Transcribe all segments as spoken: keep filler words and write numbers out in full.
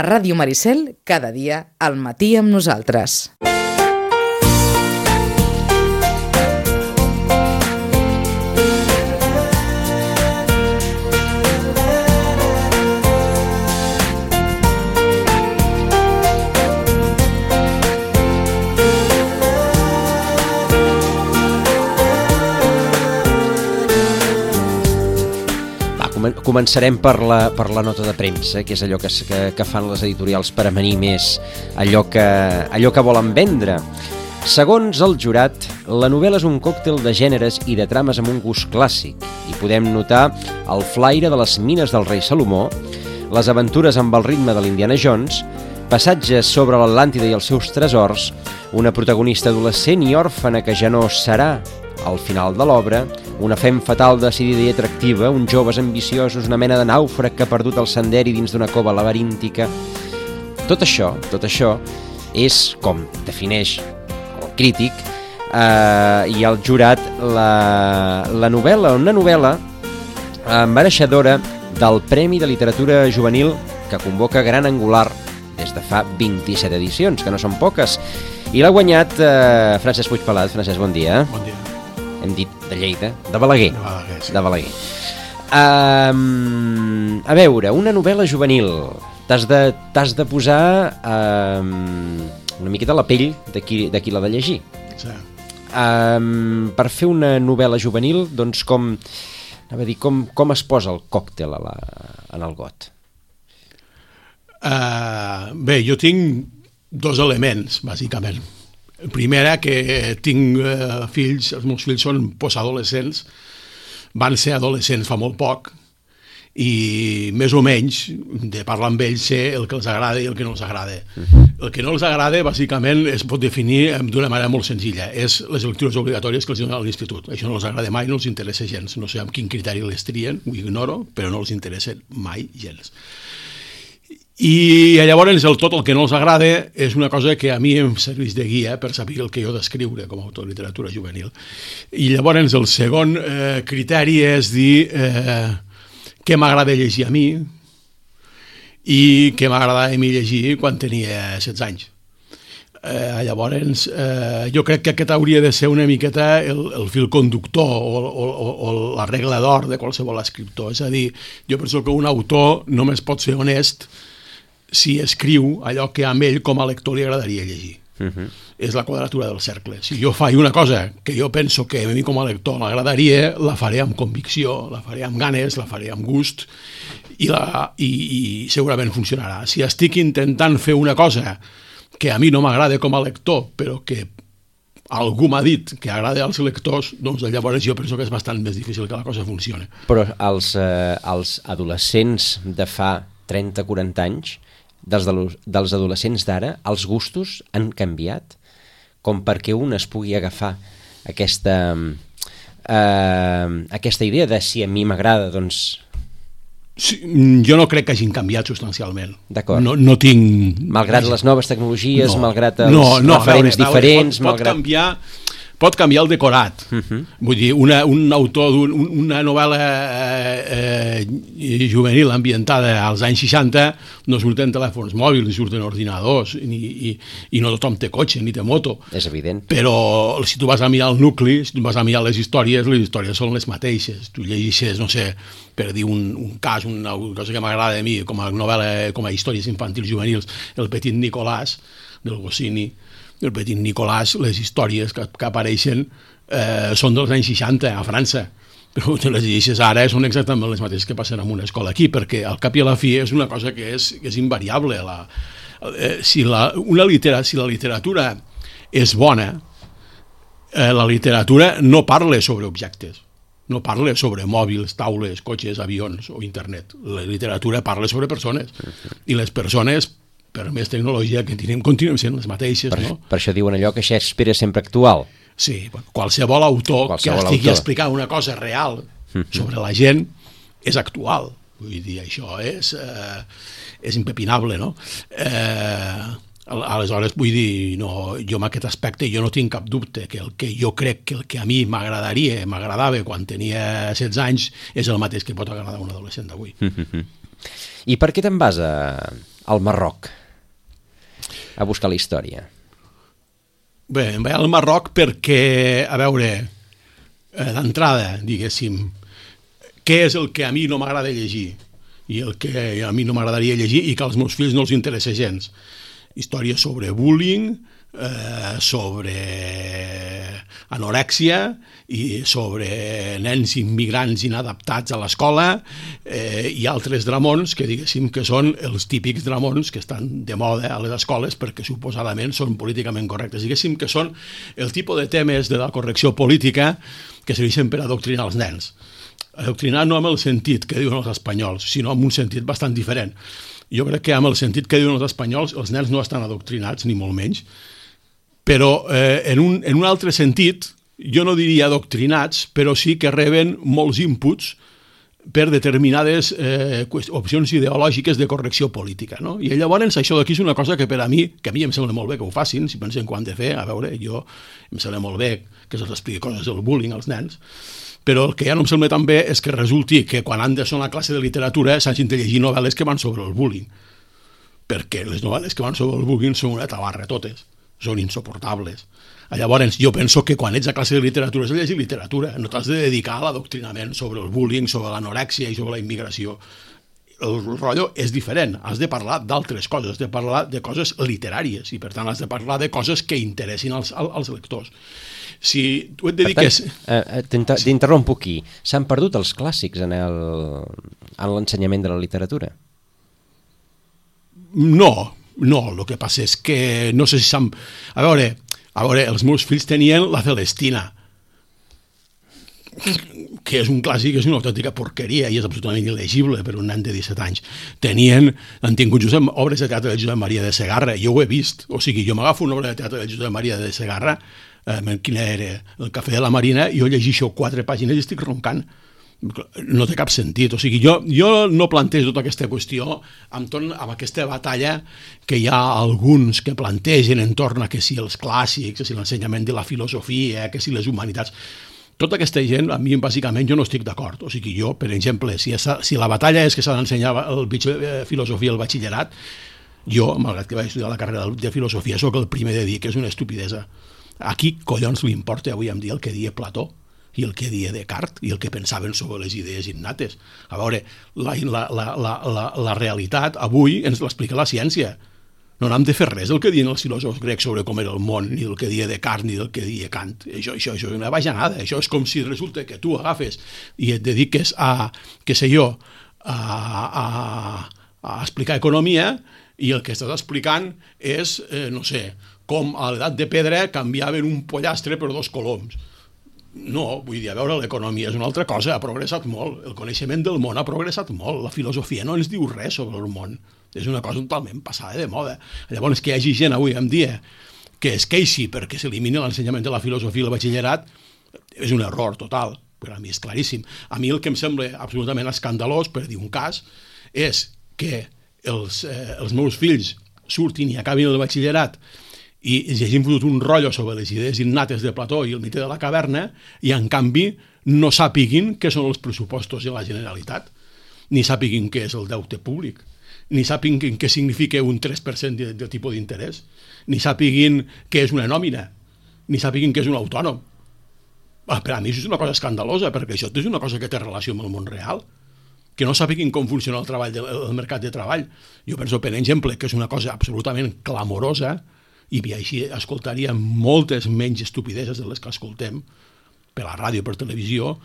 A Ràdio Maricel, cada dia al matí amb nosaltres. Començarem per la, per la nota de premsa, que és allò que, que, que fan les editorials per amanir més allò que, allò que volen vendre. Segons el jurat, la novel·la és un còctel de gèneres i de trames amb un gust clàssic. Hi podem notar el flaire de les mines del rei Salomó, les aventures amb el ritme de l'Indiana Jones, passatges sobre l'Atlàntida i els seus tresors, una protagonista adolescent i òrfana que ja no serà al final de l'obra, una fem fatal decidida i atractiva, uns joves ambiciosos, una mena de nàufrag que ha perdut el senderi dins d'una cova laberíntica. Tot això, tot això és com defineix el crític eh, i el jurat la, la novel·la, una novel·la eh, mereixedora del Premi de Literatura Juvenil que convoca Gran Angular des de fa vint-i-set edicions, que no són poques, i l'ha guanyat eh, Francesc Puigpelat. Francesc, bon dia. Bon dia. Hem dit de Lleida, de Balaguer. De Balaguer, sí. De Balaguer. Um, a veure, una novel·la juvenil. T'has de, t'has de posar um, una miqueta la pell de qui, de qui l'ha de llegir. Sí. Um, per fer una novel·la juvenil, doncs com, anava a dir, com, com es posa el còctel a la, en el got? Uh, bé, jo tinc dos elements, bàsicament. Primera, que tinc eh, fills, els meus fills són postadolescents, van ser adolescents fa molt poc, i més o menys, de parlar amb ells, sé el que els agrada i el que no els agrada. Uh-huh. El que no els agrada, bàsicament, es pot definir d'una manera molt senzilla. És les lectures obligatòries que els donen a l'institut. Això no els agrada mai, no els interessa gens. No sé amb quin criteri les trien, ho ignoro, però no els interessa mai gens. I llavors el tot el que no els agrada és una cosa que a mi em serveix de guia per saber el que jo d'escriure com a autor de literatura juvenil. I llavors el segon eh, criteri és dir eh, què m'agrada llegir a mi i què m'agradava a mi llegir quan tenia setze anys. Eh, llavors eh, jo crec que aquest hauria de ser una miqueta el, el fil conductor o, o, o la regla d'or de qualsevol escriptor. És a dir, jo penso que un autor només pot ser honest si escriu allò que a ell com a lector li agradaria llegir. Uh-huh. És la quadratura del cercle. Si jo faig una cosa que jo penso que a mi com a lector m'agradaria, la faré amb convicció, la faré amb ganes, la faré amb gust i, la, i, i segurament funcionarà. Si estic intentant fer una cosa que a mi no m'agrada com a lector, però que algú m'ha dit que agrada als lectors, doncs llavors jo penso que és bastant més difícil que la cosa funcioni. Però els, eh, els adolescents de fa trenta a quaranta anys, dels, dels adolescents d'ara, els gustos han canviat com perquè un es pugui agafar aquesta, eh, aquesta idea de si a mi m'agrada, doncs... Sí, jo no crec que hagin canviat substancialment. D'acord. No, no tinc... Malgrat les noves tecnologies, no, malgrat els no, no, referents veure, diferents... Pot, pot malgrat... canviar... pot canviar el decorat. Uh-huh. Vull dir, una, un autor d'una novel·la eh, eh, juvenil ambientada als anys seixanta no surten telèfons mòbils, ni surten ordinadors, ni, i, i no tothom té cotxe, ni té moto. És evident. Però si tu vas a mirar el nucli, si tu vas a mirar les històries, les històries són les mateixes. Tu llegeixes, no sé, per dir un, un cas, una cosa que m'agrada a mi, com a novel·la, com a històries infantils juvenils, El petit Nicolàs, del Goscinny, El petit Nicolàs, les històries que, que apareixen eh, són dels anys seixanta a França, però te les llegeixes ara són exactament les mateixes que passen en una escola aquí, perquè al cap i a la fi és una cosa que és, que és invariable. La, eh, si, la, una litera, si la literatura és bona, eh, la literatura no parla sobre objectes, no parla sobre mòbils, taules, cotxes, avions o internet. La literatura parla sobre persones, i les persones, per més tecnologia que tenim, continuem sent les mateixes. Per, no? per això diuen allò que Shakespeare és sempre actual. Sí, bueno, qualsevol autor qualsevol que estigui autor. explicant una cosa real sobre la gent és actual. Vull dir, això és, eh, és impepinable, no? Eh, aleshores, vull dir, no, jo en aquest aspecte jo no tinc cap dubte que el que jo crec que el que a mi m'agradaria, m'agradava quan tenia setze anys és el mateix que pot agradar a un adolescent d'avui. I per què te'n vas a, al Marroc a buscar la història? Bé, em vaig al Marroc perquè, a veure, d'entrada, diguéssim, què és el que a mi no m'agrada llegir i el que a mi no m'agradaria llegir i que als meus fills no els interessa gens. Històries sobre bullying, eh, sobre anorèxia i sobre nens immigrants inadaptats a l'escola eh, i altres dramons que diguéssim que són els típics dramons que estan de moda a les escoles perquè suposadament són políticament correctes. Diguéssim que són el tipus de temes de la correcció política que serveixen per adoctrinar els nens. Adoctrinar no amb el sentit que diuen els espanyols, sinó amb un sentit bastant diferent. Jo crec que amb el sentit que diuen els espanyols els nens no estan adoctrinats, ni molt menys, però eh, en, un, en un altre sentit, jo no diria adoctrinats, però sí que reben molts inputs per determinades eh, opcions ideològiques de correcció política, no? I llavors això d'aquí és una cosa que per a mi, que a mi em sembla molt bé que ho facin, si pensen que ho han de fer, a veure, jo em sembla molt bé que se'ls expliqui coses del bullying als nens, però el que ja no em sembla tan bé és que resulti que quan han de ser una classe de literatura s'hagin de llegir novel·les que van sobre el bullying, perquè les novel·les que van sobre el bullying són una tabarra totes, són insuportables. Llavors, jo penso que quan ets a classe de literatura has de llegir literatura, no t'has de dedicar a l'adoctrinament sobre el bullying, sobre l'anorèxia i sobre la immigració. El rotllo és diferent, has de parlar d'altres coses, has de parlar de coses literàries i per tant has de parlar de coses que interessin als, als lectors. Si tu et dediques... Eh, T'interrompo aquí. S'han perdut els clàssics en l'ensenyament de la literatura? No, no, el que passa és que no sé si s'han... A veure, a veure, els meus fills tenien la Celestina, que és un clàssic, és una autèntica porqueria i és absolutament il·legible per un nen de disset anys. Tenien, han tingut Josep, obres de teatre de Josep Maria de Segarra, jo ho he vist, o sigui, jo m'agafo una obra de teatre de Josep Maria de Segarra, eh, quina era, El cafè de la Marina, i jo llegeixo quatre pàgines i estic roncant. No té cap sentit, o sigui, jo, jo no plantejo tota aquesta qüestió entorn amb aquesta batalla que hi ha alguns que plantegen entorn a que si els clàssics, que si l'ensenyament de la filosofia, que si les humanitats... Tota aquesta gent, a mi, bàsicament, jo no estic d'acord. O sigui, jo, per exemple, si, si la batalla és que s'ha d'ensenyar el filosofia al batxillerat, jo, malgrat que vaig estudiar la carrera de filosofia, sóc el primer de dir que és una estupidesa. A qui collons li importa avui en dia el que dia Plató i el que dia Descartes i el que pensaven sobre les idees innates? A veure, la, la, la, la, la, la realitat avui ens l'explica la ciència. No n'hem de fer res del que diuen els filòsofs grecs sobre com era el món, ni del que dia Descartes, ni del que dia Kant. Això, això, això és una bajanada. Això és com si resulta que tu agafes i et dediques a, què sé jo, a, a, a explicar economia i el que estàs explicant és, eh, no sé, com a l'edat de pedra canviaven un pollastre per dos coloms. No, vull dir, a veure, l'economia és una altra cosa, ha progressat molt, el coneixement del món ha progressat molt, la filosofia no ens diu res sobre el món, és una cosa totalment passada de moda. Llavors, que hi hagi gent avui en dia que es queixi perquè s'elimini l'ensenyament de la filosofia al batxillerat és un error total, per a mi és claríssim. A mi el que em sembla absolutament escandalós, per dir un cas, és que els, eh, els meus fills surtin i acabin el batxillerat i ens hagin fotut un rotllo sobre les idees innates de Plató i el mite de la caverna i, en canvi, no sàpiguin què són els pressupostos de la Generalitat, ni sàpiguin què és el deute públic, ni sàpiguin què significa un tres per cent de, de tipus d'interès, ni sàpiguin què és una nòmina, ni sàpiguin què és un autònom. Per a mi això és una cosa escandalosa, perquè això és una cosa que té relació amb el món real, que no sàpiguin com funciona el, treball de, el mercat de treball. Jo penso, per exemple, que és una cosa absolutament clamorosa i així escoltaríem moltes menys estupideses de les que escoltem per la ràdio, per televisió,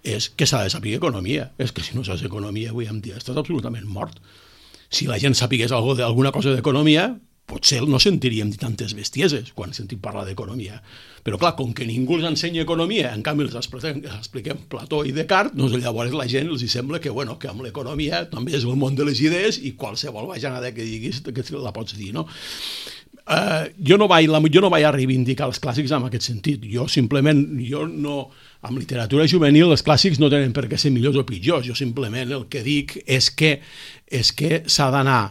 és que s'ha de saber economia. És que si no saps economia avui en dia estàs absolutament mort. Si la gent sapigués alguna cosa d'economia, potser no sentiríem tantes bestieses quan sentim parlar d'economia. Però clar, com que ningú els ensenya economia, en canvi els expliquem Plató i Descartes, doncs llavors la gent els sembla que, bueno, que amb l'economia també és el món de les idees i qualsevol bajanada que diguis que la pots dir, no? Uh, jo, no vaig, jo no vaig a reivindicar els clàssics en aquest sentit. Jo simplement, jo no, amb literatura juvenil els clàssics no tenen per què ser millors o pitjors. Jo simplement el que dic és que, és que s'ha d'anar,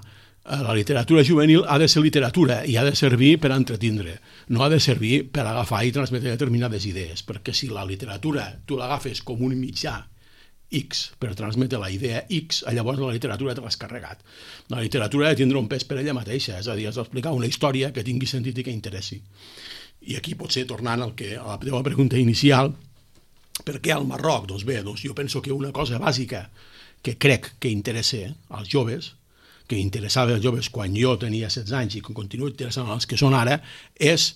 la literatura juvenil ha de ser literatura i ha de servir per entretindre, no ha de servir per agafar i transmetre determinades idees, perquè si la literatura tu l'agafes com un mitjà X, per transmetre la idea X, llavors la literatura te l'has carregat. La literatura ha de tindre un pes per ella mateixa, és a dir, has d'explicar una història que tingui sentit i que interessi. I aquí potser, tornant al que, a la teva pregunta inicial, per què al Marroc? Doncs bé, doncs jo penso que una cosa bàsica que crec que interessa als joves, que interessava als joves quan jo tenia setze anys i que continuo interessant als que són ara, és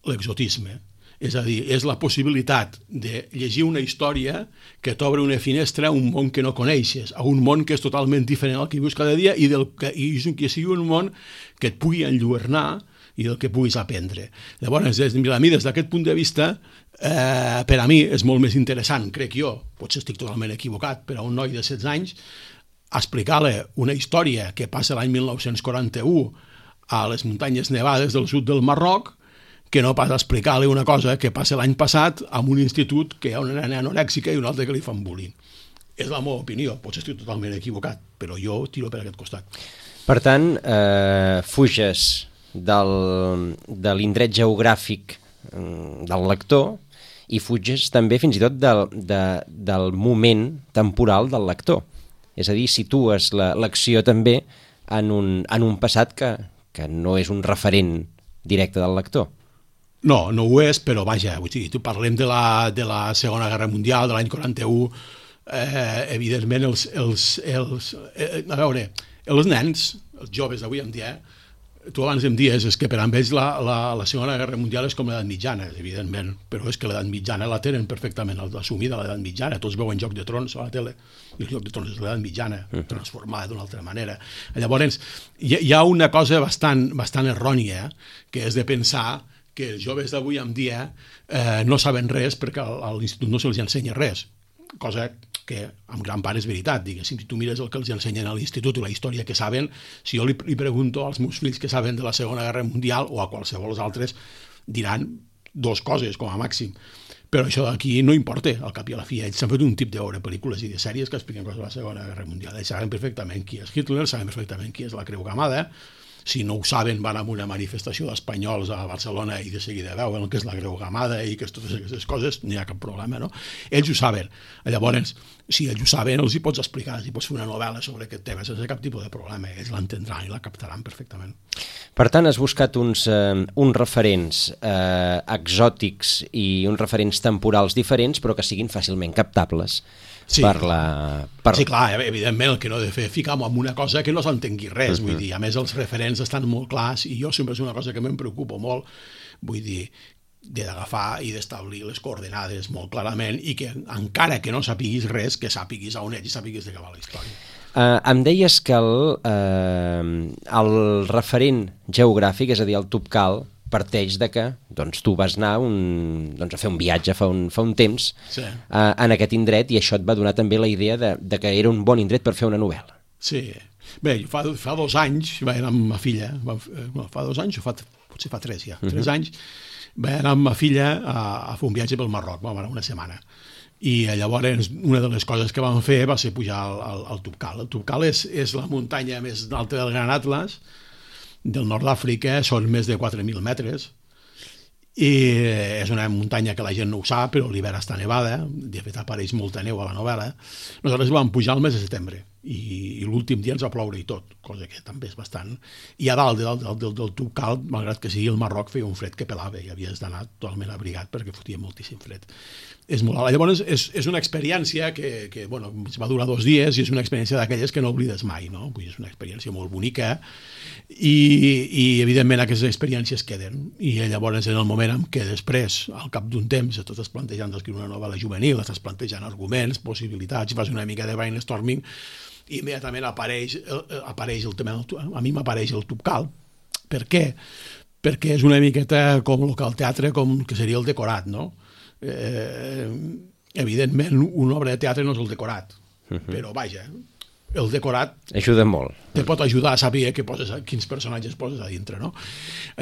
l'exotisme. És a dir, és la possibilitat de llegir una història que t'obre una finestra a un món que no coneixes, a un món que és totalment diferent al que vius cada dia i, del que, i que sigui un món que et pugui enlluernar i del que puguis aprendre. Llavors, des, a mi, des d'aquest punt de vista, eh, per a mi és molt més interessant, crec jo, potser estic totalment equivocat, per a un noi de setze anys, explicar-li una història que passa l'any mil nou-cents quaranta-u a les muntanyes nevades del sud del Marroc, que no pas explicar-li una cosa que passa l'any passat en un institut que hi ha una nena anorèxica i una altra que li fan bullying. És la meva opinió, potser estic totalment equivocat, però jo tiro per aquest costat. Per tant, eh, fuges del, de l'indret geogràfic del lector i fuges també fins i tot del, de, del moment temporal del lector. És a dir, situes l'acció també en un, en un passat que, que no és un referent directe del lector. No, no ho és, però vaja, vull dir, tu parlem de la, de la Segona Guerra Mundial, de l'any quaranta-u, eh, evidentment els, els, els eh, a veure, els nens, els joves d'avui en dia, tu abans em dies és que per a ells la, la, la Segona Guerra Mundial és com l'edat mitjana, evidentment, però és que l'edat mitjana la tenen perfectament assumida, l'edat mitjana, tots veuen Joc de Trons a la tele, i el Joc de Trons és l'edat mitjana, transformada d'una altra manera. Llavors, hi, hi ha una cosa bastant, bastant errònia, que és de pensar que els joves d'avui en dia eh, no saben res perquè a l'institut no se'ls ensenya res, cosa que en gran part és veritat. Diguéssim, si tu mires el que els ensenyen a l'institut i la història que saben, si jo li, li pregunto als meus fills que saben de la Segona Guerra Mundial o a qualsevol dels altres, diran dues coses com a màxim. Però això d'aquí no importa, al cap i a la fi. Ells s'han fet un tip de veure pel·lícules i de sèries que expliquen coses de la Segona Guerra Mundial. Ells saben perfectament qui és Hitler, saben perfectament qui és la Creu Gamada. Si no ho saben, van a una manifestació d'espanyols a Barcelona i de seguida veuen el que és la Creu Gamada i que totes aquestes coses, no hi ha cap problema, no? Ells ho saben. Llavors, si ells ho saben, els hi pots explicar, els hi pots fer una novel·la sobre aquest tema sense cap tipus de problema. Ells l'entendran i la captaran perfectament. Per tant, has buscat uns, eh, uns referents eh, exòtics i uns referents temporals diferents, però que siguin fàcilment captables. Sí. Per la, per... sí, clar, evidentment el que no he de fer ficar-me en una cosa que no s'entengui res, uh-huh. Vull dir, a més els referents estan molt clars i jo sempre és una cosa que me'n preocupo molt, vull dir, d'agafar i d'establir les coordenades molt clarament i que encara que no sapiguis res, que sàpiguis a on ets i sàpiguis de què va la història. Uh, em deies que el, uh, el referent geogràfic, és a dir, el Tubcal, parteix de que doncs, tu vas anar un, doncs, a fer un viatge fa un, fa un temps sí. uh, en aquest indret i això et va donar també la idea de, de que era un bon indret per fer una novel·la. Sí. Bé, fa, fa dos anys vaig anar amb ma filla, va, no, fa dos anys o fa, potser fa tres ja, uh-huh. tres anys, vaig anar amb ma filla a, a fer un viatge pel Marroc, vam anar una setmana. I llavors una de les coses que vam fer va ser pujar al, al, al Tubcal. El Tubcal és, és la muntanya més alta del Gran Atlas, del nord d'Àfrica, són més de quatre mil metres i és una muntanya que la gent no ho sap, però l'hivern està nevada, de fet apareix molta neu a la novel·la. Nosaltres vam pujar el mes de setembre i, i l'últim dia ens va ploure i tot, cosa que també és bastant. I a dalt del, del, del, del Tubcal, malgrat que sigui el Marroc, feia un fred que pelava i havies d'anar totalment abrigat perquè fotia moltíssim fred. És molt alt. Llavors és, és una experiència que, que bueno, va durar dos dies i és una experiència d'aquelles que no oblides mai, no? Vull dir, és una experiència molt bonica i, i evidentment aquestes experiències queden i llavors en el moment en què després, al cap d'un temps, tu estàs plantejant d'escriure una novel·la juvenil, estàs plantejant arguments, possibilitats, fas una mica de brainstorming i immediatament apareix, apareix el tema del, a mi m'apareix el Tubcal. Per què? Perquè és una miqueta com el que el teatre, com que seria el decorat, no? Eh, evidentment una obra de teatre no és el decorat, uh-huh. Però vaja, el decorat ajuda molt, te pot ajudar a saber que poses, quins personatges poses a dintre, no?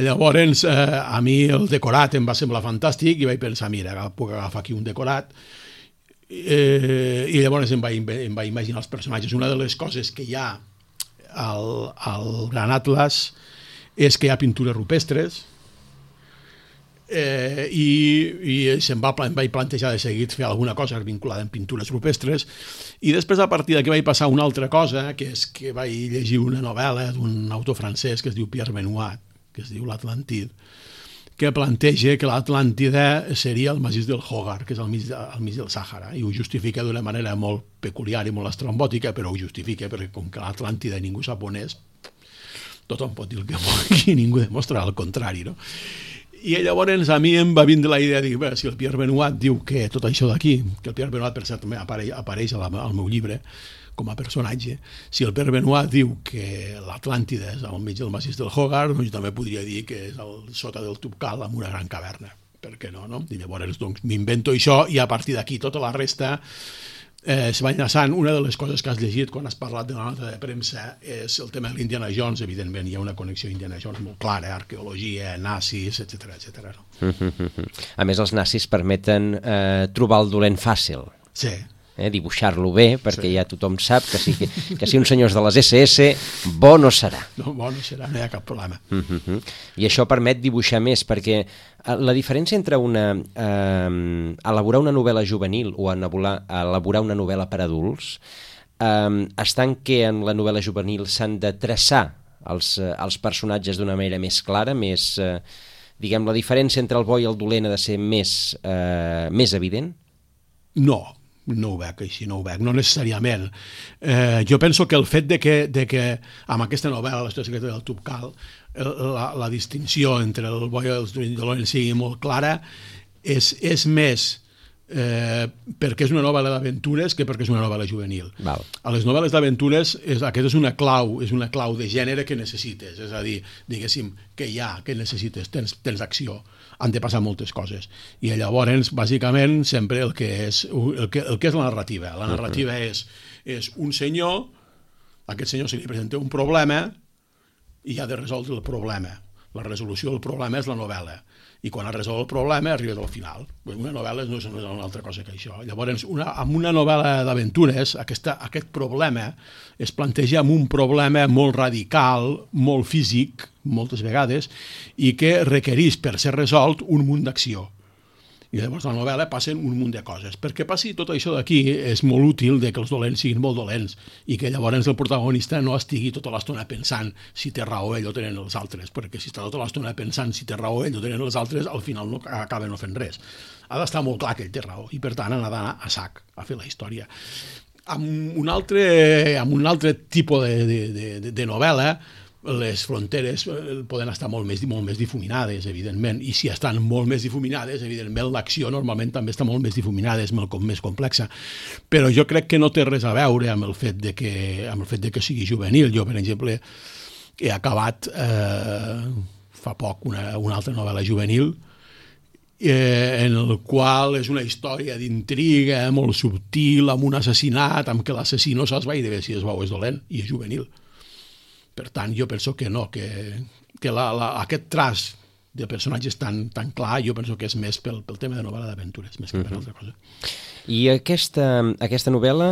Llavors eh, a mi el decorat em va semblar fantàstic i vaig pensar, mira, puc agafar aquí un decorat eh, i llavors em vaig, em vaig imaginar els personatges. Una de les coses que hi ha al, al Gran Atlas és que hi ha pintures rupestres. eh, i, i se'm va, em vaig plantejar de seguit fer alguna cosa vinculada amb pintures rupestres, i després a partir d'aquí vaig passar una altra cosa, que és que vaig llegir una novel·la d'un autor francès que es diu Pierre Benoit, que es diu l'Atlantid, que planteja que l'Atlàntida seria el massís del Hogar, que és al mig, al mig del Sàhara, i ho justifica d'una manera molt peculiar i molt estrambòtica, però ho justifica perquè com que l'Atlàntida ningú sap on és, tothom pot dir el que vulgui i ningú demostrarà el contrari, no? I llavors a mi em va vindre la idea de dir, bé, si el Pierre Benoit diu que tot això d'aquí, que el Pierre Benoit per cert també apareix, apareix al meu llibre com a personatge, si el Pierre Benoit diu que l'Atlàntida és al mig del massís del Hogar, doncs també podria dir que és al sota del Tubcal amb una gran caverna. Per què no, no? I llavors doncs, m'invento això i a partir d'aquí tota la resta eh, se va enllaçant. Una de les coses que has llegit quan has parlat de la nota de premsa és el tema de l'Indiana Jones. Evidentment hi ha una connexió Indiana Jones molt clara, arqueologia, nazis, etcètera, etcètera. No? A més, els nazis permeten eh, trobar el dolent fàcil. Sí. Eh, dibuixar-lo bé, perquè Sí. ja tothom sap que si, que, que si un senyor és de les esse esse, bo no serà. No, bo no serà, no hi ha cap problema. Uh-huh. I això permet dibuixar més, perquè eh, la diferència entre una, eh, elaborar una novel·la juvenil o elaborar, elaborar una novel·la per adults eh, està en què en la novel·la juvenil s'han de traçar els, eh, els personatges d'una manera més clara, més, eh, diguem, la diferència entre el bo i el dolent ha de ser més, eh, més evident? No, no ho veig així, no ho veig, no necessàriament. Eh, jo penso que el fet de que, de que amb aquesta novel·la, l'Història secreta del Tubcal, la, la distinció entre el bo i el dolent sigui molt clara, és, és més eh, perquè és una novel·la d'aventures que perquè és una novel·la juvenil. Val. A les novel·les d'aventures és, aquesta és una clau, és una clau de gènere que necessites, és a dir, diguéssim, que hi ha, que necessites, tens, tens acció, han de passar moltes coses. I llavors, bàsicament, sempre el que és, el que, el que és la narrativa. La narrativa uh-huh. és, és un senyor, a aquest senyor se li presenta un problema i ha de resoldre el problema. La resolució del problema és la novel·la. I quan ha resolt el problema arribes al final. Una novel·la no és una altra cosa que això. Llavors, una, amb una novel·la d'aventures, aquesta, aquest problema es planteja amb un problema molt radical, molt físic, moltes vegades, i que requereix per ser resolt un munt d'acció. I llavors a la novel·la passen un munt de coses. Perquè passi tot això d'aquí és molt útil de que els dolents siguin molt dolents i que llavors el protagonista no estigui tota l'estona pensant si té raó ell o tenen els altres, perquè si està tota l'estona pensant si té raó ell o tenen els altres, al final no acaben no fent res. Ha d'estar molt clar que ell té raó i per tant ha d'anar a sac a fer la història. Amb un altre, amb un altre tipus de, de, de, de novel·la, les fronteres poden estar molt més, molt més difuminades, evidentment, i si estan molt més difuminades, evidentment l'acció normalment també està molt més difuminada, és molt més complexa, però jo crec que no té res a veure amb el fet de que, amb el fet de que sigui juvenil. Jo, per exemple, he acabat eh, fa poc una, una altra novel·la juvenil eh, en el qual és una història d'intriga molt subtil, amb un assassinat, amb que l'assassí no saps gaire si és bo o és dolent, i és juvenil. Per tant, jo penso que no, que, que la, la, aquest traç de personatges tan, tan clar, jo penso que és més pel, pel tema de novel·la d'aventures, més que per altra cosa. I aquesta, aquesta novel·la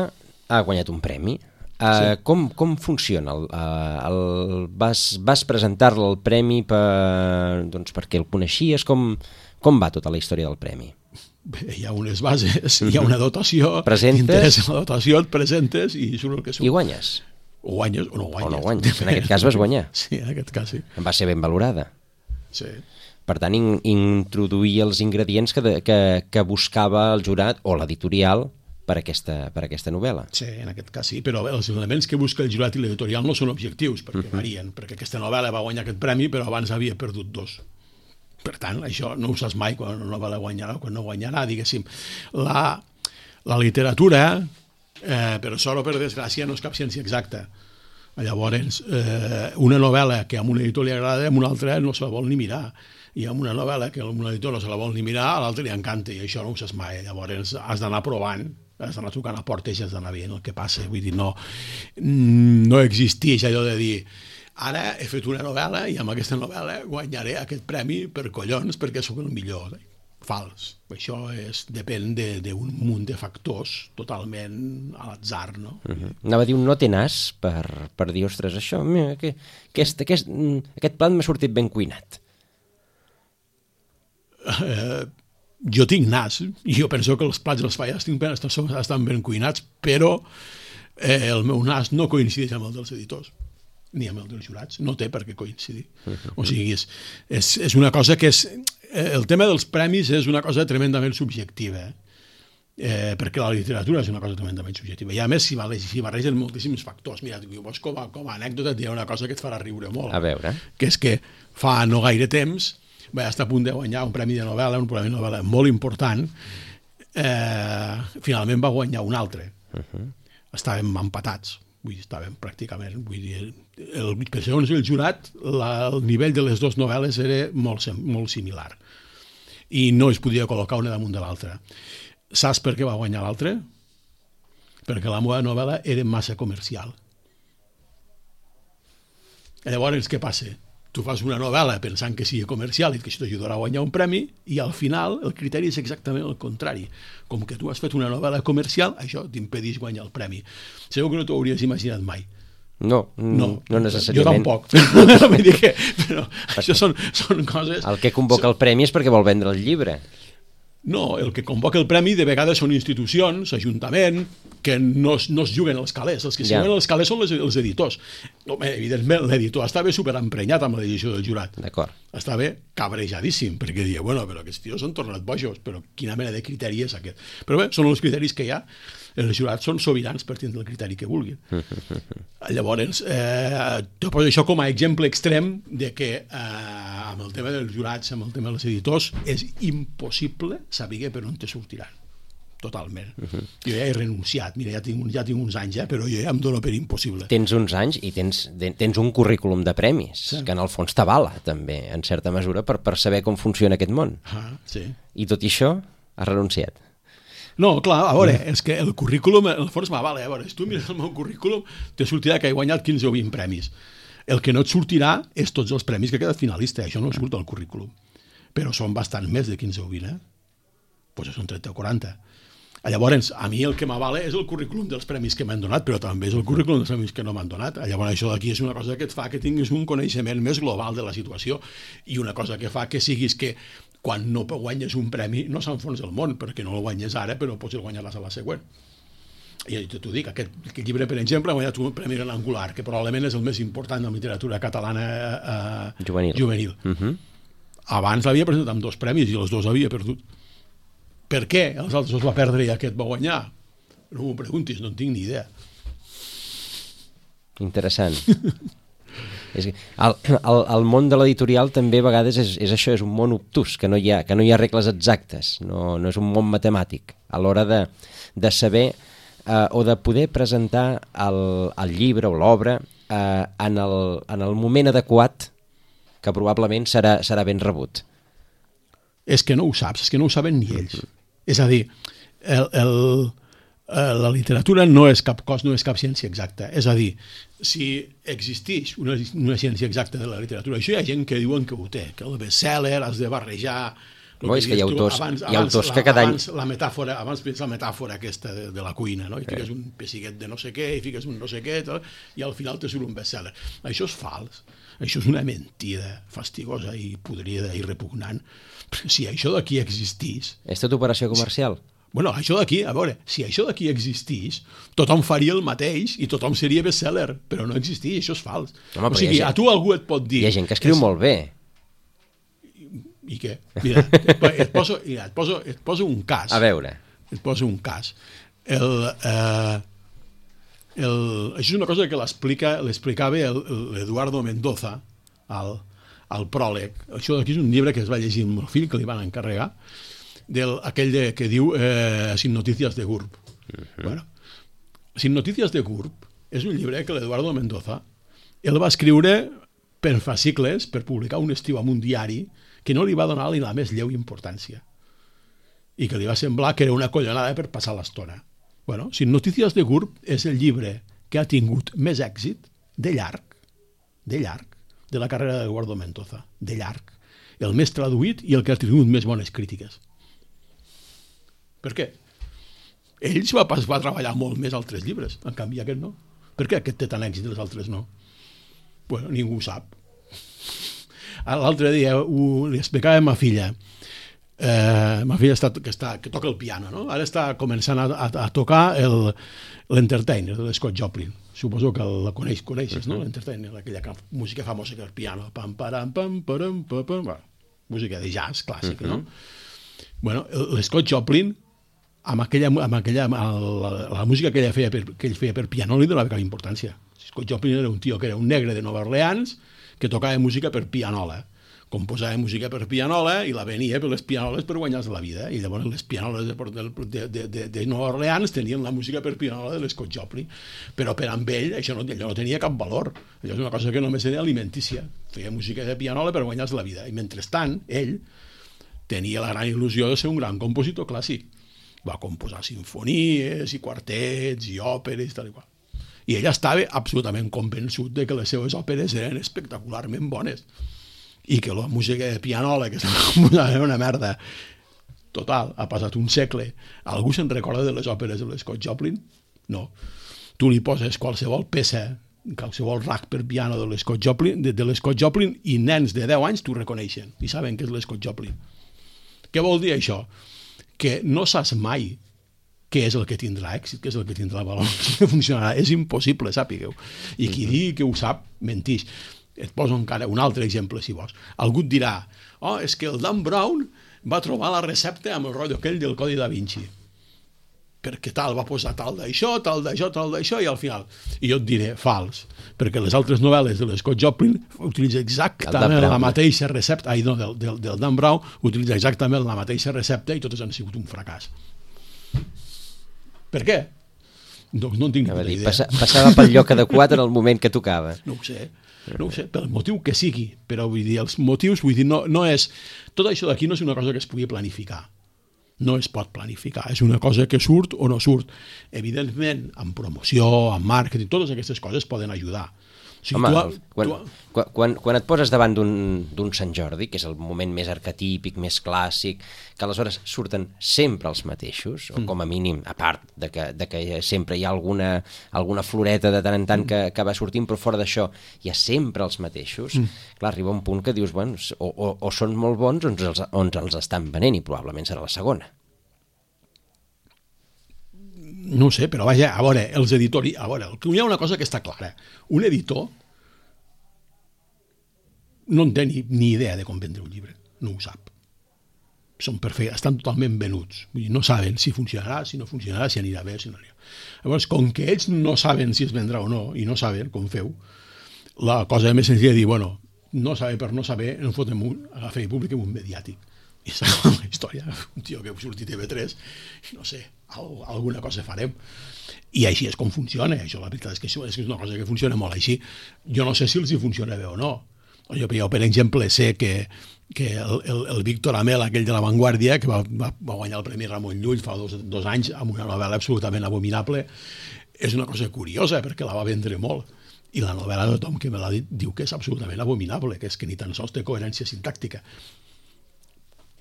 ha guanyat un premi. Uh, sí. com, com funciona? El, uh, el, vas vas presentar-lo al premi per, doncs, perquè el coneixies? Com, com va tota la història del premi? Bé, hi ha unes bases, hi ha una dotació, presentes, t'interessa la dotació, et presentes i surt el que surt. I guanyes? O guanyes o no guanyes. O no guanyes. En aquest cas vas guanyar. Sí, en aquest cas sí. Va ser ben valorada. Sí. Per tant, in, introduir els ingredients que, de, que, que buscava el jurat o l'editorial per aquesta, per aquesta novel·la. Sí, en aquest cas sí, però els elements que busca el jurat i l'editorial no són objectius, perquè uh-huh. varien, perquè aquesta novel·la va guanyar aquest premi, però abans havia perdut dos. Per tant, això no ho saps mai quan una novel·la guanyarà o quan no guanyarà, diguéssim. La, la literatura... Eh, per sort o per desgràcia no és cap ciència exacta. Llavors, eh, una novel·la que a un editor li agrada, a un altre no se la vol ni mirar. I amb una novel·la que a un editor no se la vol ni mirar, a l'altre li encanta, i això no ho saps mai. Llavors has d'anar provant, has d'anar trucant a portes i has d'anar veient el que passa. Vull dir, no, no existeix allò de dir ara he fet una novel·la i amb aquesta novel·la guanyaré aquest premi per collons perquè sóc el millor. Fals. Això és, depèn d'un munt de factors totalment a l'atzar, no? Uh-huh. Anava a dir un no té nas per, per dir, ostres, això, mira, que, aquest, aquest, aquest plat m'ha sortit ben cuinat. eh, jo tinc nas, i jo penso que els plats dels falles estan, estan ben cuinats, però eh, el meu nas no coincideix amb el dels editors, ni amb el dels jurats, no té per què coincidir. O sigui, és, és, és una cosa que és... El tema dels premis és una cosa tremendament subjectiva, eh? Eh, perquè la literatura és una cosa tremendament subjectiva. I a més, s'hi si barregen moltíssims factors. Mira, vos com a, com a anècdota hi ha una cosa que et farà riure molt. A veure. Que és que fa no gaire temps va estar a punt de guanyar un premi de novel·la, un premi de novel·la molt important, eh, finalment va guanyar un altre. Uh-huh. Estàvem empatats, vull dir, estàvem pràcticament, vull dir, el, per segons el jurat, la, el nivell de les dues novel·les era molt, molt similar i no es podia col·locar una damunt de l'altra. Saps per què va guanyar l'altre? Perquè la meva novel·la era massa comercial. Llavors, què passa? Tu fas una novel·la pensant que sigui comercial i que això t'ajudarà a guanyar un premi, i al final el criteri és exactament el contrari. Com que tu has fet una novel·la comercial, això t'impedeix guanyar el premi. Segur que no t'ho hauries imaginat mai. No, no, no necessàriament. Jo tampoc. Vull dir que, però això són, són coses... El que convoca el premi és perquè vol vendre el llibre. No, el que convoca el premi de vegades són institucions, ajuntament, que no, no es juguen els calés. Els que ja. juguen els calés són les, els editors. Home, evidentment, l'editor estava superemprenyat amb la decisió del jurat. D'acord. Estava cabrejadíssim, perquè deia, bueno, però aquests tios s'han tornat bojos, però quina mena de criteri és aquest? Però bé, són els criteris que hi ha. Els jurats són sobirans per tindre el criteri que vulguin. Llavors, eh, te poso això com a exemple extrem de que eh, amb el tema dels jurats, amb el tema dels editors, és impossible saber per on te sortiran. Totalment. Uh-huh. Jo ja he renunciat, mira, ja tinc, ja tinc uns anys, ja, però jo ja em dono per impossible. Tens uns anys i tens, tens un currículum de premis, sí. que en el fons t'avala, també, en certa mesura, per, per saber com funciona aquest món. Ah, sí. I tot i això, has renunciat. No, clar, a veure, és que el currículum, el fons m'avala, a veure, si tu mires el meu currículum, te sortirà que he guanyat quinze o vint premis. El que no et sortirà és tots els premis que he quedat finalista, això no surt al currículum. Però són bastant més de quinze o vint, eh? Doncs són trenta o quaranta. Llavors, a mi el que m'avala és el currículum dels premis que m'han donat, però també és el currículum dels premis que no m'han donat. Llavors, això d'aquí és una cosa que et fa que tinguis un coneixement més global de la situació i una cosa que fa que siguis que quan no guanyes un premi no s'enfonsa el món, perquè no el guanyes ara, però pots guanyar-les a la següent. I t'ho dic, aquest, aquest llibre, per exemple, ha guanyat un premi Gran Angular, que probablement és el més important de la literatura catalana eh, juvenil. juvenil. Uh-huh. Abans l'havia presentat amb dos premis i els dos havia perdut. Per què els altres els va perdre i aquest va guanyar? No m'ho preguntis, no en tinc ni idea. Interessant. És que el, el, el món de l'editorial també a vegades és, és això, és un món obtús, que no hi ha, que no hi ha regles exactes, no, no és un món matemàtic. A l'hora de, de saber eh, o de poder presentar el, el llibre o l'obra eh, en, el, en el moment adequat, que probablement serà, serà ben rebut. És que no ho saps, és que no ho saben ni ells. És a dir, el, el, la literatura no és cap cos, no és cap ciència exacta. És a dir, si existeix una, una ciència exacta de la literatura, això hi ha gent que diuen que ho té, que el best-seller has de barrejar... No, és que hi ha autors, tu, abans, hi ha autors abans, que cada any... Abans la metàfora, abans la metàfora aquesta de, de la cuina, no? I fiques un pessiguet de no sé què, i fiques un no sé què, tal, i al final te surt un best-seller. Això és fals. Això és una mentida fastigosa i podrida i repugnant. Si això d'aquí existís... És tot operació comercial? Bueno, això d'aquí, a veure, si això d'aquí existís, tothom faria el mateix i tothom seria best-seller, però no existeix, això és fals. Home, o sigui, gent, a tu algú et pot dir... Hi ha gent que escriu és... molt bé. I què? Mira, et poso, mira, et poso, et poso un cas. A veure. Et poso un cas. El... Eh, el això és una cosa que l'explicava l'Eduardo Mendoza al, al pròleg. Això d'aquí és un llibre que es va llegir amb el fill, que li van encarregar, del, aquell de, que diu eh, Sin noticias de Gurb. Uh-huh. Bueno, Sin noticias de Gurb és un llibre que l'Eduardo Mendoza el va escriure per fascicles, per publicar un estiu en un diari que no li va donar ni la més lleu importància i que li va semblar que era una collonada per passar l'estona. Bueno, Sin noticias de Gurb és el llibre que ha tingut més èxit de llarg, de llarg, de la carrera d'Eduardo Mendoza, de llarg. El més traduït i el que ha tingut més bones crítiques. Per què? Ells va, va treballar molt més altres llibres, en canvi aquest no. Per què aquest té tant èxit i els altres no? Bueno, ningú ho sap. L'altre dia ho, li explicava a ma filla. Eh, ma filla està, que, està, que toca el piano, no? Ara està començant a, a, a tocar el, l'Entertainer de Scott Joplin. Suposo que la coneix, coneixes, no? L'Entertainer, aquella música famosa que és el piano. Pam, param, pam, param, pam, pam, pam. Música de jazz clàssic, no? Bueno, l'Scott Joplin, amb aquella, amb aquella amb la, la música que ell feia per, que ell feia per piano li donava cap importància. Scott Joplin era un tio que era un negre de Nova Orleans que tocava música per pianola. Composava música per pianola i la venia per les pianoles per guanyar-se la vida. I llavors les pianoles de, de, de, de, de Nova Orleans tenien la música per pianola de l'Scott Joplin. Però per amb ell això no, allò no tenia cap valor. Allò és una cosa que només era alimentícia. Feia música de pianola per guanyar-se la vida. I mentrestant, ell tenia la gran il·lusió de ser un gran compositor clàssic. Va composar sinfonies i quartets i òperes i tal i qual. I ell estava absolutament convençut de que les seves òperes eren espectacularment bones i que la música de pianola que era una merda total. Ha passat un segle. Algú se'n recorda de les òperes de l'Scott Joplin? No. Tu li poses qualsevol peça, qualsevol rack per piano de l'Scott Joplin, de, de l'Scott Joplin i nens de deu anys t'ho reconeixen i saben que és l'Scott Joplin. Què vol dir això? Que no saps mai què és el que tindrà èxit, què és el que tindrà valor, que funcionarà. És impossible, sàpigueu. I qui digui que ho sap, mentix. Et poso encara un altre exemple, si vols. Algú et dirà, oh, és que el Dan Brown va trobar la recepta amb el rotllo aquell del Codi da Vinci. Perquè tal, va posar tal d'això, tal d'això, tal d'això, i al final... I jo et diré, fals, perquè les altres novel·les de l'Scott Joplin utilitzen exactament la mateixa recepta, ai, no, del, del, del Dan Brown, utilitza exactament la mateixa recepta i totes han sigut un fracàs. Per què? Doncs no en tinc ni idea. Passa, passava pel lloc adequat en el moment que tocava. No ho sé. No ho sé, pel motiu que sigui, però vull dir, els motius, vull dir, no, no és... Tot això d'aquí no és una cosa que es pugui planificar. No es pot planificar, és una cosa que surt o no surt. Evidentment, amb promoció, amb màrqueting, totes aquestes coses poden ajudar. O sigui, Home, tu, quan, tu... quan, quan et poses davant d'un Sant Jordi, que és el moment més arquetípic, més clàssic, que aleshores surten sempre els mateixos, o com a mínim, a part de que, de que sempre hi ha alguna, alguna floreta de tant en tant que, que va sortint, però fora d'això hi ha sempre els mateixos, mm. clar, arriba un punt que dius, bueno, o, o, o són molt bons o ens els, o ens els estan venent, i probablement serà la segona. No ho sé, però vaja, a veure, els editors... A veure, hi ha una cosa que està clara. Un editor no en té ni, ni idea de com vendre un llibre. No ho sap. Són perfectes, estan totalment venuts. Vull dir, no saben si funcionarà, si no funcionarà, si anirà bé, si no anirà. Llavors, com que ells no saben si es vendrà o no, i no saben com feu, la cosa més senzilla és dir, bueno, no saber per no saber, en fotem un, agafem i publiquem un mediàtic. I s'acaba la història. Un tio que heu sortit a T V tres, no sé, alguna cosa farem. I així és com funciona. Això, la veritat és que és una cosa que funciona molt així. Jo no sé si els hi funciona bé o no. Jo, jo per exemple, sé que, que el, el, el Víctor Amel, aquell de La Vanguardia, que va, va, va guanyar el Premi Ramon Llull fa dos, dos anys amb una novel·la absolutament abominable, és una cosa curiosa perquè la va vendre molt. I la novel·la de tothom que me l'ha dit diu que és absolutament abominable, que és que ni tan sols té coherència sintàctica.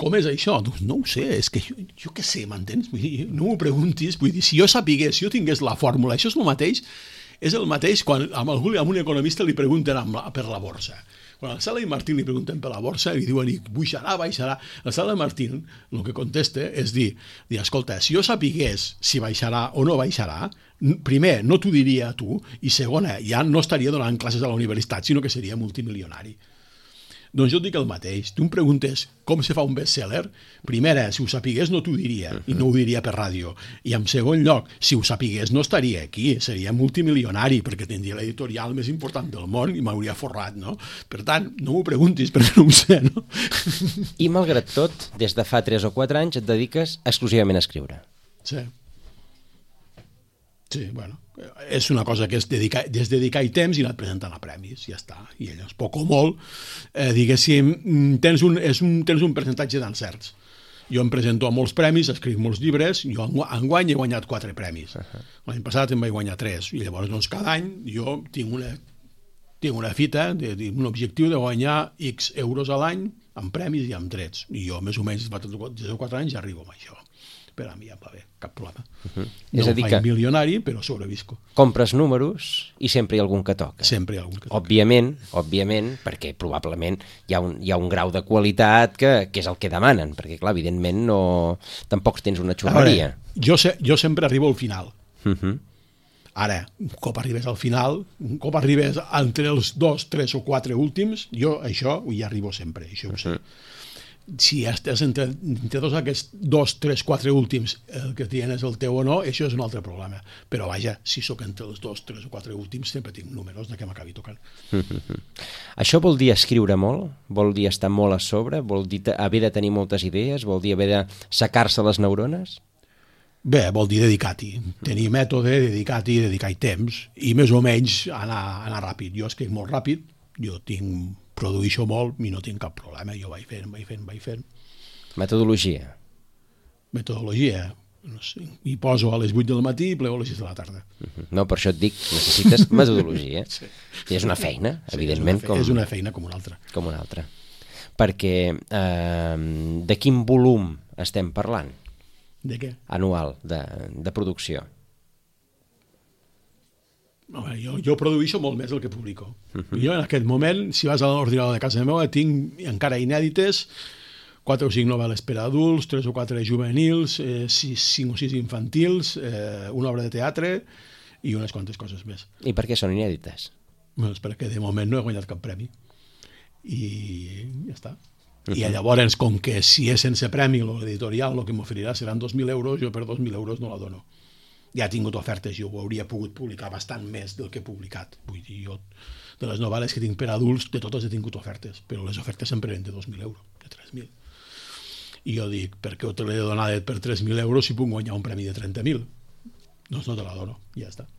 Com és això? Doncs no ho sé, és que jo, jo què sé, m'entens? Vull dir, no m'ho preguntis, vull dir, si jo sapigués, si jo tingués la fórmula, això és el mateix, és el mateix quan amb, algú, amb un economista li pregunten la, per la borsa. Quan al Sala i Martín li pregunten per la borsa i diuen, pujarà, baixarà, el Sala i Martín el que contesta és dir, dir, escolta, si jo sapigués si baixarà o no baixarà, primer, no t'ho diria a tu, i segona, ja no estaria donant classes a la universitat, sinó que seria multimilionari. Doncs jo et dic el mateix. Tu em preguntes com se fa un best-seller. Primera, si ho sapigués no t'ho diria, i no ho diria per ràdio. I en segon lloc, si ho sapigués no estaria aquí, seria multimilionari, perquè tindria l'editorial més important del món i m'hauria forrat, no? Per tant, no m'ho preguntis perquè no ho sé, no? I malgrat tot, des de fa tres o quatre anys et dediques exclusivament a escriure. Sí. Sí, bueno, és una cosa que és dedicar, és dedicar-hi temps i anar presentant a premis, ja està. I llavors, poc o molt, eh, diguéssim, tens un, és un, tens un percentatge d'encerts. Jo em presento a molts premis, escric molts llibres, jo enguany he guanyat quatre premis. Uh-huh. L'any passat em vaig guanyar tres, i llavors doncs, cada any jo tinc una, tinc una fita, de, de, un objectiu de guanyar X euros a l'any amb premis i amb drets. I jo, més o menys, des de quatre anys ja arribo amb això. per a mi ja va bé, cap problema. Uh-huh. No És a em dir faig que milionari, però sobrevisco. compres números i sempre hi ha algun que toca. Sempre hi ha algun que toca. Òbviament, òbviament, perquè probablement hi ha un, hi ha un grau de qualitat que, que és el que demanen, perquè clar, evidentment no... tampoc tens una xurreria. Veure, jo, se, jo sempre arribo al final. Uh-huh. Ara, un cop arribes al final, un cop arribes entre els dos, tres o quatre últims, jo això hi arribo sempre, això ho sé. Uh-huh. Si estàs entre, entre tots aquests dos, tres, quatre últims, el que tienes el teu o no, això és un altre problema. Però vaja, si sóc entre els dos, tres o quatre últims, sempre tinc números de què m'acabi tocant. Uh-huh. Això vol dir escriure molt? Vol dir estar molt a sobre? Vol dir haver de tenir moltes idees? Vol dir haver de secar-se les neurones? Bé, vol dir dedicar-hi, tenir mètode, dedicar-hi, dedicar-hi temps, i més o menys anar, anar ràpid. Jo escric molt ràpid, jo tinc, produeixo molt i no tinc cap problema, jo vaig fent, vaig fent, vaig fent. Metodologia? Metodologia, no sé, hi poso a les vuit del matí i plego a les sis de la tarda. Uh-huh. No, per això et dic, necessites metodologia. Sí. I és una feina, sí, evidentment. És una, fe com... és una feina com una altra. Com una altra. Perquè eh, de quin volum estem parlant? De què? Anual, de, de producció. No, jo, jo produeixo molt més del que publico. Uh-huh. Jo en aquest moment, si vas a l'ordinador de casa meva, tinc encara inèdites quatre o cinc novel·les per a adults, tres o quatre juvenils, eh, sis, cinc o sis infantils, eh, una obra de teatre i unes quantes coses més. I per què són inèdites? Doncs perquè de moment no he guanyat cap premi. I ja està. Uh-huh. I llavors, com que si és sense premi l'editorial, el que m'oferirà seran dos mil euros, jo per dos mil euros no la dono. Ja he tingut ofertes, jo ho hauria pogut publicar bastant més del que he publicat. Vull dir, jo, de les novel·les que tinc per adults, de totes he tingut ofertes, però les ofertes sempre eren de dos mil euros, de tres mil. I jo dic, per què te l'he donat per tres mil euros si puc guanyar un premi de trenta mil? Doncs no te la dono, ja està.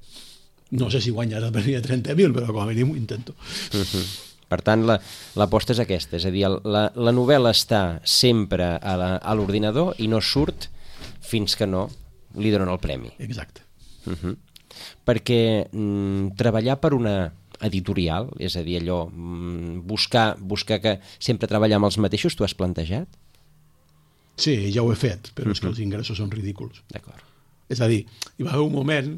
No sé si guanyarà el premi de trenta mil, però com a mínim ho intento. Uh-huh. Per tant, l'aposta és aquesta, és a dir, la, la novel·la està sempre a l'ordinador i no surt fins que no li donen el premi. Exacte. Uh-huh. Perquè mm, treballar per una editorial, és a dir, allò, mm, buscar, buscar que sempre treballar amb els mateixos, t'ho has plantejat? Sí, ja ho he fet, però uh-huh. és que els ingressos són ridículs. D'acord. És a dir, hi va haver un moment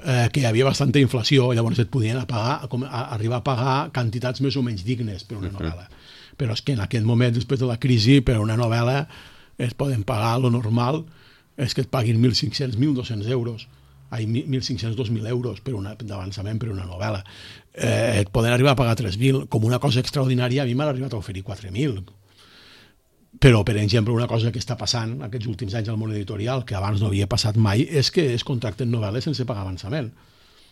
eh, que hi havia bastanta inflació, llavors et podien a pagar, a, a arribar a pagar quantitats més o menys dignes per una novel·la. Uh-huh. Però és que en aquest moment, després de la crisi, per una novel·la es poden pagar lo normal, és que et paguin mil cinc-cents, mil dos-cents euros, ai, mil cinc-cents, dos mil euros per una, d'avançament per una novel·la. Eh, et poden arribar a pagar tres mil, com una cosa extraordinària, a mi m'han arribat a oferir quatre mil. Però, per exemple, una cosa que està passant aquests últims anys al món editorial, que abans no havia passat mai, és que es contracten novel·les sense pagar avançament.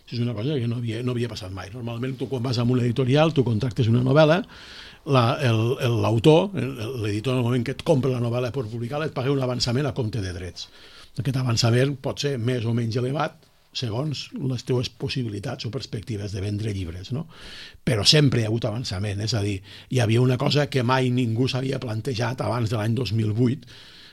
És una cosa que no havia, no havia passat mai. Normalment, tu quan vas a un editorial, tu contractes una novel·la, l'autor, l'editor, en el moment que et compra la novel·la per publicar-la, et paga un avançament a compte de drets. Aquest avançament pot ser més o menys elevat segons les teves possibilitats o perspectives de vendre llibres, no? Però sempre hi ha hagut avançament, és a dir, hi havia una cosa que mai ningú s'havia plantejat abans de l'any dos mil vuit,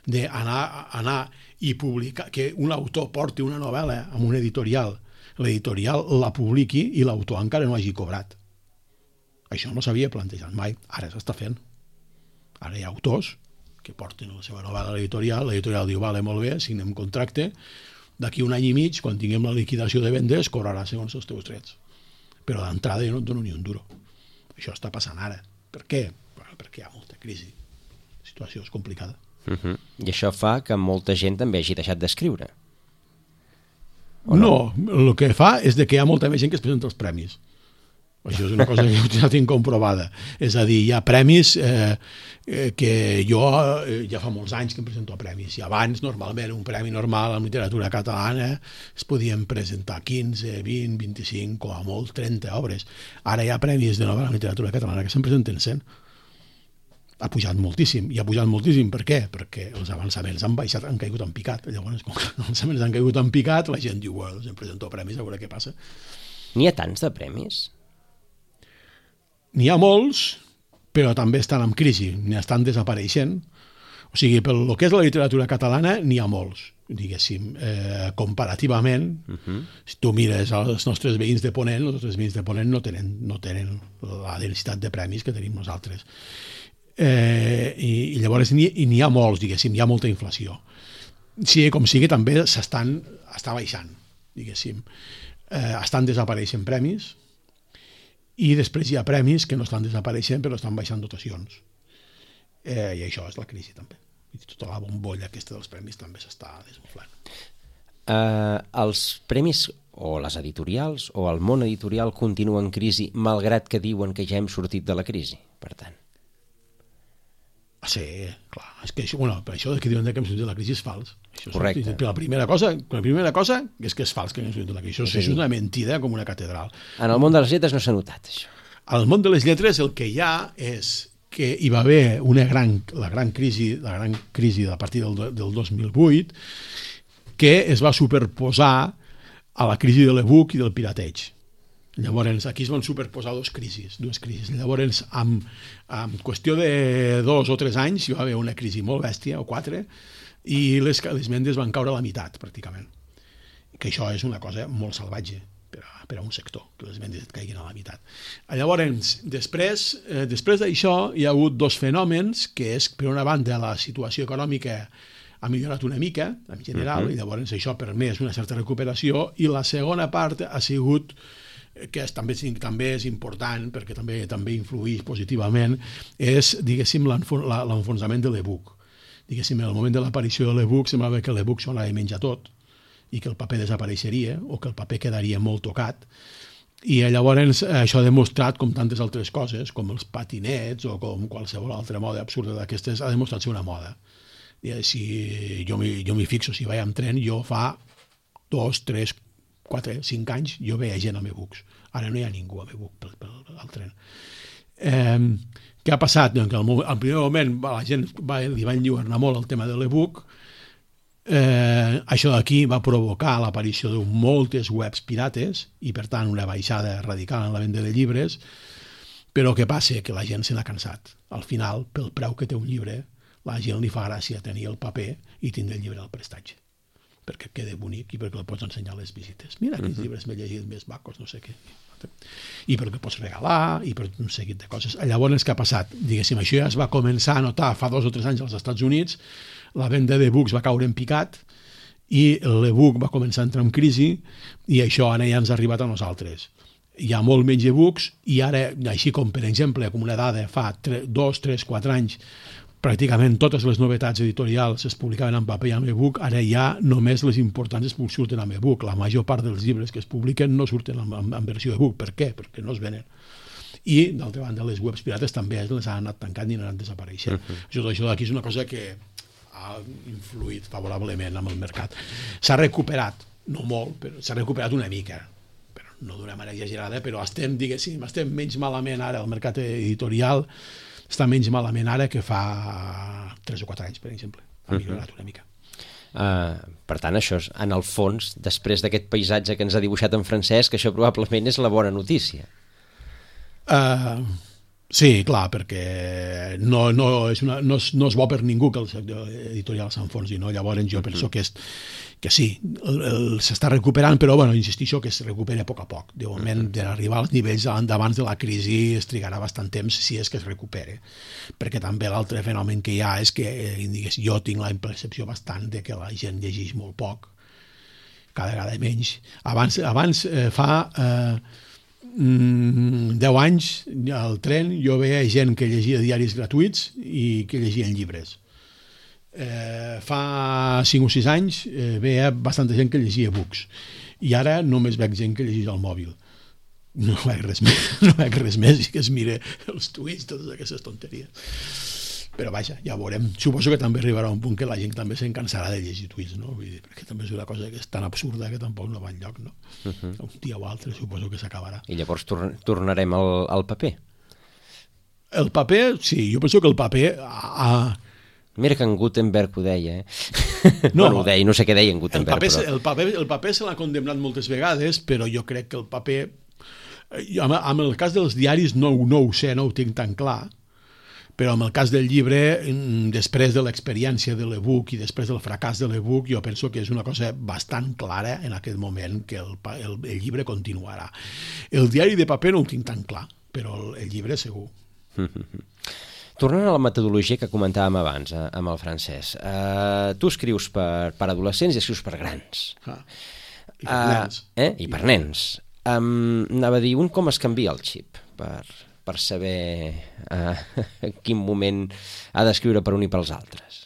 d'anar anar i publicar, que un autor porti una novel·la a un editorial, l'editorial la publiqui i l'autor encara no hagi cobrat. Això no s'havia plantejat mai, ara s'està fent. Ara hi ha autors que porten la seva novel·la a l'editorial, l'editorial diu, vale, molt bé, signem contracte, d'aquí un any i mig, quan tinguem la liquidació de vendes, cobrarà segons els teus drets. Però d'entrada jo no et dono ni un duro. Això està passant ara. Per què? Bueno, perquè hi ha molta crisi. La situació és complicada. Uh-huh. I això fa que molta gent també hagi deixat d'escriure. No, no, el que fa és de que hi ha molta més gent que es presenta als premis. Això és una cosa que ja tinc comprovada. És a dir, hi ha premis eh, eh, que jo eh, ja fa molts anys que em presento a premis. I abans, normalment, un premi normal en literatura catalana es podien presentar quinze, vint, vint-i-cinc, com a molt, trenta obres. Ara hi ha premis de novel·la en literatura catalana que se'n presenten cent. Ha pujat moltíssim. I ha pujat moltíssim. Per què? Perquè els avançaments han baixat, han caigut en picat. Llavors, com que els avançaments han caigut en picat, la gent diu, bueno, doncs em presento a premis, a veure què passa. N'hi ha tants de premis? N'hi ha molts, però també estan en crisi, n'hi estan desapareixent. O sigui, pel que és la literatura catalana, n'hi ha molts, diguéssim. Eh, comparativament, uh-huh. si tu mires els nostres veïns de Ponent, els nostres veïns de Ponent no tenen, no tenen la densitat de premis que tenim nosaltres. Eh, i, i llavors n'hi, n'hi ha molts, diguéssim, hi ha molta inflació. Sí, com sigui, també s'estan està baixant, diguéssim. Eh, estan desapareixent premis i després hi ha premis que no estan desapareixent però estan baixant dotacions. Eh, I això és la crisi també. I tota la bombolla aquesta dels premis també s'està desinflant. Uh, els premis o les editorials o el món editorial continua en crisi malgrat que diuen que ja hem sortit de la crisi, per tant. Sí, clar, és que això, bueno, per això que diuen que hem sortit de la crisi és fals. Això Correcte. És, la primera cosa, la primera cosa és que és fals que hem sortit de la crisi. Això és, és una mentida com una catedral. En el món de les lletres no s'ha notat, això. Al món de les lletres el que hi ha és que hi va haver una gran, la gran crisi, la gran crisi a partir del, del dos mil vuit que es va superposar a la crisi de l'e-book i del pirateig. Llavors, aquí es van superposar dues crisis, dues crisis. Llavors, amb, amb qüestió de dos o tres anys hi va haver una crisi molt bèstia, o quatre, i les, les vendes van caure a la meitat, pràcticament. Que això és una cosa molt salvatge per a, per a un sector, que les vendes et caiguin a la meitat. Llavors, després, eh, després d'això hi ha hagut dos fenòmens, que és, per una banda, la situació econòmica ha millorat una mica, en general, uh-huh. i llavors això ha permès una certa recuperació, i la segona part ha sigut que és, també, també és important perquè també també influïx positivament, és, diguéssim, l'enfonsament de l'e-book. Diguéssim, en el moment de l'aparició de l'e-book semblava que l'e-book s'ho anava a menjar tot i que el paper desapareixeria o que el paper quedaria molt tocat. I llavors això ha demostrat, com tantes altres coses, com els patinets o com qualsevol altra moda absurda d'aquestes, ha demostrat ser una moda. I si jo m'hi fixo, si vaig amb tren, jo fa dos, tres, quatre, cinc anys jo veia gent amb e-books. Ara no hi ha ningú amb e-book pel, pel, pel tren. Eh, què ha passat? Doncs que al, al primer moment la gent va, li va enlluernar molt el tema de l'e-book. Eh, això d'aquí va provocar l'aparició de moltes webs pirates i per tant una baixada radical en la venda de llibres, però què passa? Que la gent se n'ha cansat. Al final, pel preu que té un llibre, la gent li fa gràcia tenir el paper i tindre el llibre al prestatge, perquè queda bonic i perquè el pots ensenyar a les visites. Mira quins uh-huh. llibres m'he llegit més macos, no sé què. I perquè pots regalar, i per un seguit de coses. Llavors, què ha passat? Diguéssim, això ja es va començar a notar fa dos o tres anys als Estats Units, la venda d'e-books va caure en picat i l'e-book va començar a entrar en crisi i això ara ja ens ha arribat a nosaltres. Hi ha molt menys e-books i ara, així com per exemple, com una dada fa dos, tres, quatre anys, pràcticament totes les novetats editorials es publicaven en paper i en e-book, ara ja només les importants es surten en e-book. La major part dels llibres que es publiquen no surten en, en, en versió e-book. Per què? Perquè no es venen. I, d'altra banda, les webs pirates també les han anat tancant i han anat desapareixent. Uh-huh. Això, això d'aquí és una cosa que ha influït favorablement amb el mercat. S'ha recuperat, no molt, però s'ha recuperat una mica, però no d'una manera exagerada, però estem, diguéssim, estem menys malament ara al mercat editorial, està menys malament ara que fa tres o quatre anys, per exemple. Ha millorat una mica. Uh, per tant, això és, en el fons, després d'aquest paisatge que ens ha dibuixat en Francesc, això probablement és la bona notícia. Uh, sí, clar, perquè no, no, és una, no, és, no és bo per ningú que el sector editorial s'enfonsi, no? Llavors jo penso que, és, que sí, s'està recuperant, però bueno, insistixo que es recupera a poc a poc. De moment, d'arribar als nivells d'abans de la crisi es trigarà bastant temps si és que es recupere. Perquè també l'altre fenomen que hi ha és que digues, jo tinc la percepció bastant de que la gent llegeix molt poc, cada vegada menys. Abans, abans eh, fa... Eh, deu anys al tren jo veia gent que llegia diaris gratuïts i que llegien llibres. Eh, fa cinc o sis anys eh, veia bastanta gent que llegia books i ara només veig gent que llegeix al mòbil. No veig res més, no veig res més i que es mire els tuits, totes aquestes tonteries. Però vaja, ja veurem. Suposo que també arribarà un punt que la gent també se'n cansarà de llegir tuits, no? Vull dir, perquè també és una cosa que és tan absurda que tampoc no va enlloc, no? Uh-huh. Un dia o altre suposo que s'acabarà. I llavors tor- tornarem al, al paper? El paper, sí, jo penso que el paper... Ah, mira que en Gutenberg ho deia, eh? No, bueno, ho deia, no sé què deia en Gutenberg, el paper, però... El paper, el paper se l'ha condemnat moltes vegades, però jo crec que el paper... Amb, amb el cas dels diaris no, no ho sé, no ho tinc tan clar, però en el cas del llibre, després de l'experiència de l'e-book i després del fracàs de l'e-book, jo penso que és una cosa bastant clara en aquest moment que el, el, el llibre continuarà. El diari de paper no ho tinc tan clar, però el, el llibre segur. tornant a la metodologia que comentàvem abans eh, amb el Francesc, uh, tu escrius per, per adolescents i escrius per grans. Ah, I per uh, nens. Eh? I per nens. Um, anava a dir, un com es canvia el xip per, per saber uh, en quin moment ha d'escriure per un i pels altres.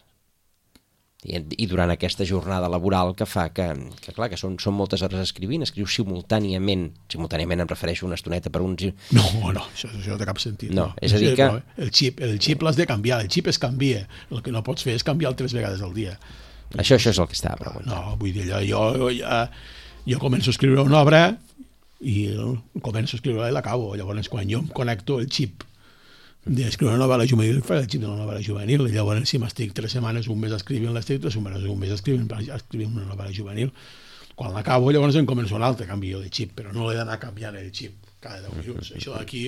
I, i durant aquesta jornada laboral que fa que, que clar, que són, són moltes hores escrivint, escrius simultàniament, simultàniament em refereixo una estoneta per uns... No, no, això, això no té cap sentit. No, no. és a dir que... El xip, el xip l'has de canviar, el xip es canvia, el que no pots fer és canviar tres vegades al dia. Això, això és el que estava preguntant. No, vull dir, jo, jo, jo, jo començo a escriure una obra i començo a escriure-la i l'acabo, llavors quan jo em connecto el xip d'escriure una novel·la juvenil, fa el xip de la novel·la juvenil, i llavors si m'estic tres setmanes, un mes escrivint, l'estic tres setmanes, un mes escrivint, escrivint una novel·la juvenil, quan l'acabo llavors em començo un altre canvi de xip, però no l'he d'anar canviant el xip cada deu minuts. Això d'aquí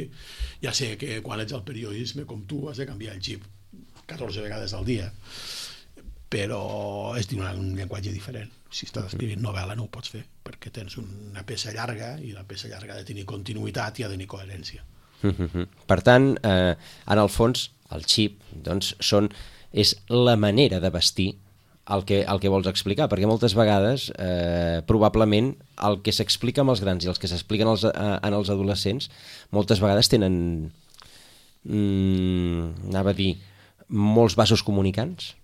ja sé que quan ets al periodisme com tu has de canviar el xip catorze vegades al dia, però és un llenguatge diferent. Si estàs escrivint novel·la no ho pots fer, perquè tens una peça llarga i la peça llarga ha de tenir continuïtat i ha de tenir coherència. Per tant, eh, en el fons, el xip doncs, són, és la manera de vestir el que, el que vols explicar, perquè moltes vegades, eh, probablement, el que s'explica amb els grans i els que s'expliquen als, eh, en els adolescents, moltes vegades tenen, mm, anava a dir, molts vasos comunicants.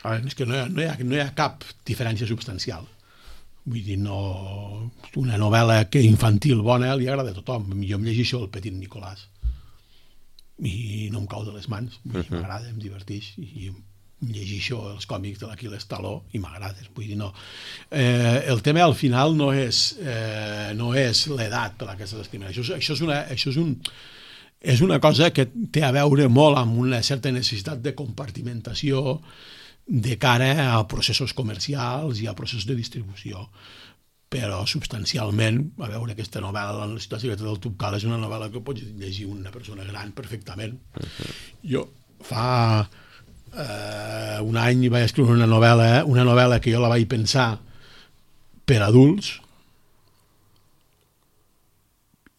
A veure, és que no hi ha, no hi ha, no hi ha cap diferència substancial. Vull dir, no... Una novel·la que infantil bona li agrada a tothom. Jo em llegeixo El Petit Nicolàs i no em cau de les mans. Vull dir, m'agrada, em diverteix. I em llegeixo els còmics de l'Aquil Taló i m'agrada. Vull dir, no. Eh, el tema al final no és, eh, no és l'edat per la que estàs escrivint. Això, això, és una, això és, un, és una cosa que té a veure molt amb una certa necessitat de compartimentació de cara a processos comercials i a processos de distribució. Però substancialment, a veure, aquesta novel·la, La ciutat secreta del Tubcal, és una novel·la que pots llegir una persona gran perfectament. Uh-huh. Jo fa eh, un any vaig escriure una novel·la, una novel·la que jo la vaig pensar per adults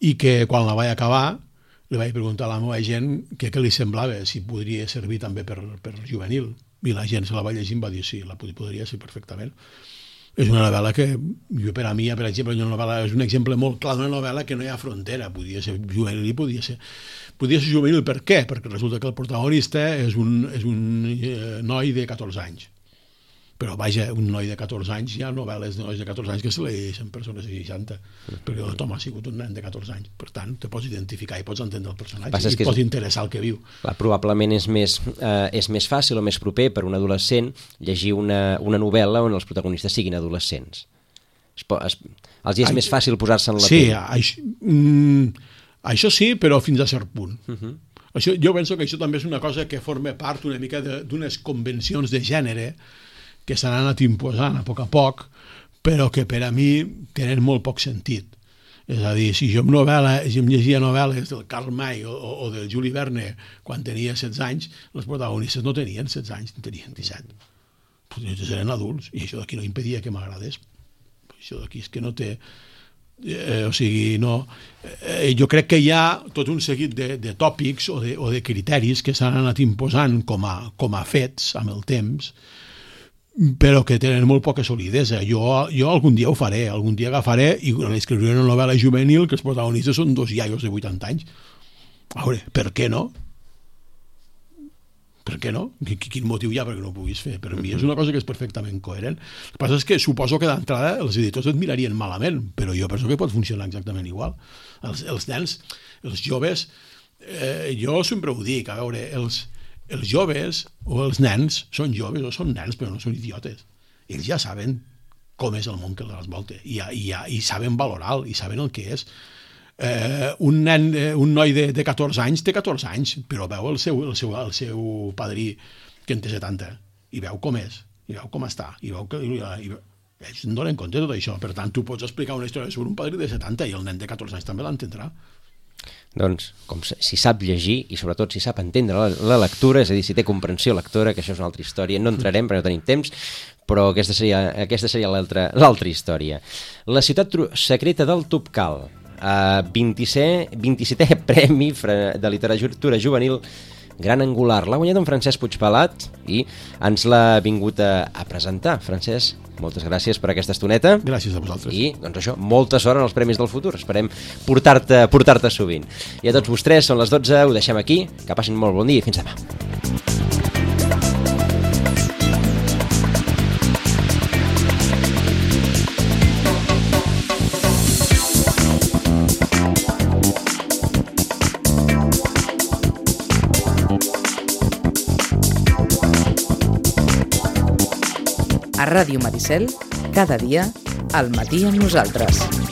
i que quan la vaig acabar li vaig preguntar a la meva gent què, què li semblava, si podria servir també per, per juvenil. I la gent se la va llegir i va dir sí, la podria ser perfectament. És una novel·la que, jo per a mi, per exemple, una novel·la, és un exemple molt clar d'una novel·la que no hi ha frontera, podia ser juvenil i podia ser, podia ser juvenil. Per què? Perquè resulta que el protagonista és un, és un eh, noi de catorze anys. Però vaja, un noi de catorze anys, hi ha novel·les de nois de catorze anys que se llegeixen persones de seixanta, perquè el Tom ha sigut un nen de catorze anys. Per tant, te pots identificar i pots entendre el personatge i et pots interessar el que viu. Clar, probablement és més, eh, és més fàcil o més proper per un adolescent llegir una, una novel·la on els protagonistes siguin adolescents. Es, es, els hi és Ai, més fàcil posar-se en la sí, pell. Això, mm, això sí, però fins a cert punt. Uh-huh. Això, jo penso que això també és una cosa que forma part una mica d'unes convencions de gènere que s'han anat imposant a poc a poc, però que per a mi tenen molt poc sentit. És a dir, si jo em, novel·la, si em llegia novel·les del Karl May o, o del Juli Verne quan tenia setze anys, els protagonistes no tenien setze anys, tenien disset. Potser eren adults, i això d'aquí no impedia que m'agradés. Això d'aquí és que no té... Eh, o sigui, no... Eh, jo crec que hi ha tot un seguit de, de tòpics o de, o de criteris que s'han anat imposant com a, com a fets amb el temps, però que tenen molt poca solidesa. Jo, jo algun dia ho faré, algun dia agafaré i escriuré una novel·la juvenil que els protagonistes són dos iaios de vuitanta anys. A veure, per què no? Per què no? Quin motiu hi ha perquè no ho puguis fer? Per mi és una cosa que és perfectament coherent. El que passa és que suposo que d'entrada els editors et mirarien malament, però jo penso que pot funcionar exactament igual. Els, els nens, els joves, eh, jo sempre ho dic, a veure, els els joves o els nens són joves o són nens però no són idiotes. Ells ja saben com és el món que els volta i, i, i saben valorar i saben el que és. Eh, un nen, un noi de, de catorze anys té catorze anys, però veu el seu, el seu, el seu padrí que en té setanta i veu com és, i veu com està, i veu que... I, i, ells en donen compte de tot això. Per tant, tu pots explicar una història sobre un padrí de setanta i el nen de catorze anys també l'entendrà. Doncs, com si sap llegir i sobretot si sap entendre la, la lectura, és a dir, si té comprensió lectora, que això és una altra història, no entrarem perquè no tenim temps, però aquesta seria, aquesta seria l'altra l'altra història. La ciutat secreta del Tubcal. Uh, vint-i-setè Premi de Literatura Juvenil Gran Angular. L'ha guanyat en Francesc Puigpelat i ens l'ha vingut a, a presentar. Francesc, moltes gràcies per aquesta estoneta. Gràcies a vosaltres. I, doncs això, molta sort en els Premis del futur. Esperem portar-te portar-te sovint. I a tots vostès, són les dotze, ho deixem aquí. Que passin molt bon dia i fins demà. A Ràdio Maricel, cada dia, al matí amb nosaltres.